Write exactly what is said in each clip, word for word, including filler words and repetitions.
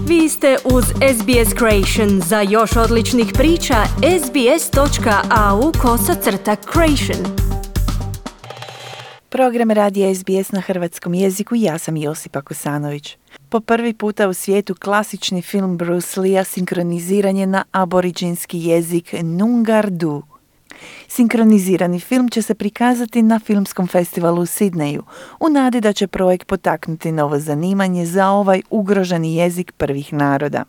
Vi ste uz S B S Creation. Za još odličnih priča, sbs.au kosacrta creation. Program radija S B S na hrvatskom jeziku, ja sam Josipa Kosanović. Po prvi puta u svijetu klasični film Bruce Lee sinkroniziran je na aboriđinski jezik Nungardu. Sinkronizirani film će se prikazati na filmskom festivalu u Sidneju, u nadi da će projekt potaknuti novo zanimanje za ovaj ugroženi jezik prvih naroda.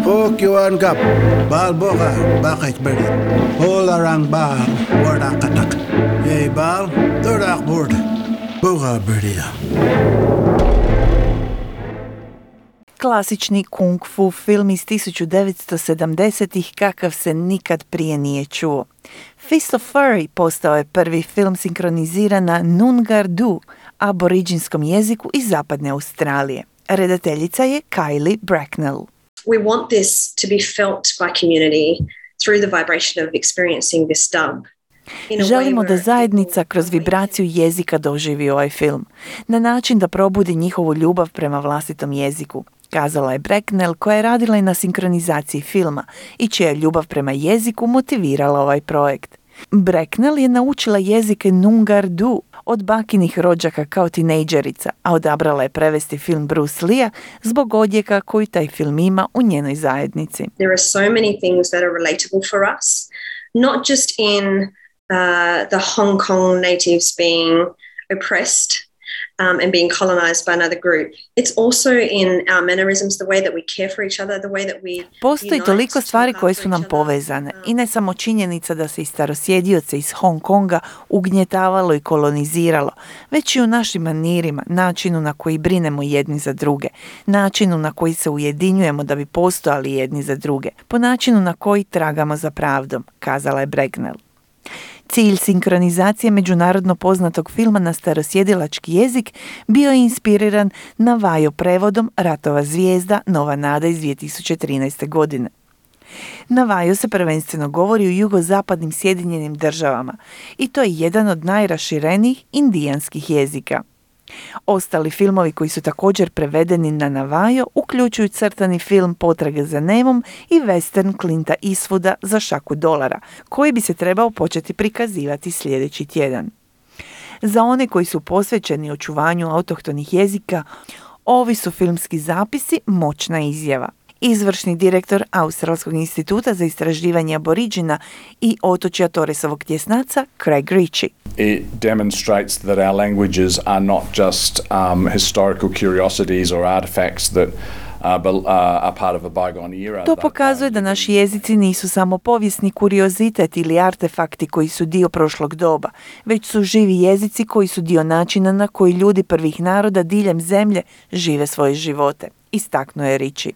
Pokyuan gap, bal boga, bakit beri, holarang bal, wardakatak, yay bal, durak board, boga berida. Klasični kung fu film iz tisuću devetsto sedamdesetih kakav se nikad prije nije čuo. Fist of Fury postao je prvi film sinkroniziran na Nungardu, aboriđinskom jeziku iz zapadne Australije. Redateljica je Kylie Bracknell. We want this to be felt by community through the vibration of experiencing this dub. Želimo da zajednica kroz vibraciju jezika doživi ovaj film, na način da probudi njihovu ljubav prema vlastitom jeziku, kazala je Bracknell, koja je radila i na sinkronizaciji filma i čija je ljubav prema jeziku motivirala ovaj projekt. Bracknell je naučila jezike Nungardu od bakinih rođaka kao tinejdžerica, a odabrala je prevesti film Bruce Lee zbog odjeka koji taj film ima u njenoj zajednici. There are so many things that are relatable for us, not just in uh, the Hong Kong natives being oppressed Um, and being colonized by another group. It's also in our mannerisms, the way that we care for each other, the way that we Postoji toliko stvari koje su nam povezane i ne samo činjenica da se i starosjedioce iz Hong Konga ugnjetavalo i koloniziralo, već i u našim manirima, načinu na koji brinemo jedni za druge, načinu na koji se ujedinjujemo da bi postojali jedni za druge, po načinu na koji tragamo za pravdom, kazala je Bracknell. Cilj sinkronizacije međunarodno poznatog filma na starosjedilački jezik bio je inspiriran Navajo prevodom Ratova zvijezda Nova nada iz dvije tisuće trinaeste. godine. Navajo se prvenstveno govori u jugozapadnim Sjedinjenim državama i to je jedan od najraširenijih indijanskih jezika. Ostali filmovi koji su također prevedeni na Navajo uključuju crtani film Potraga za Nemom i western Clinta Eastwooda Za šaku dolara, koji bi se trebao početi prikazivati sljedeći tjedan. Za one koji su posvećeni očuvanju autohtonih jezika, ovi su filmski zapisi moćna izjava. Izvršni direktor Australskog instituta za istraživanje aboriđina i otočja Torresovog tjesnaca, Craig Ritchie. It demonstrates that our languages are not just um, historical curiosities or artifacts that uh, are part of a bygone era. To pokazuje da naši jezici nisu samo povijesni kuriozitet ili artefakti koji su dio prošlog doba, već su živi jezici koji su dio načina na koji ljudi prvih naroda diljem zemlje žive svoje živote, istaknuo je Ritchie.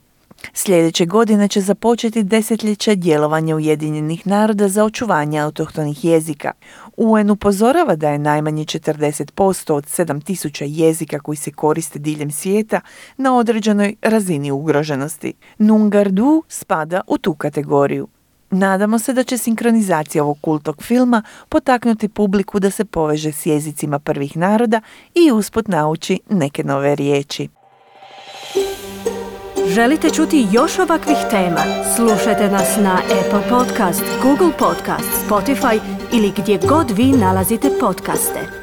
Sljedeće godine će započeti desetljeće djelovanja Ujedinjenih naroda za očuvanje autohtonih jezika. U en upozorava da je najmanje četrdeset posto od sedam tisuća jezika koji se koriste diljem svijeta na određenoj razini ugroženosti. Nungardu spada u tu kategoriju. Nadamo se da će sinkronizacija ovog kultog filma potaknuti publiku da se poveže s jezicima prvih naroda i usput nauči neke nove riječi. Želite čuti još ovakvih tema? Slušajte nas na Apple Podcast, Google Podcast, Spotify ili gdje god vi nalazite podcaste.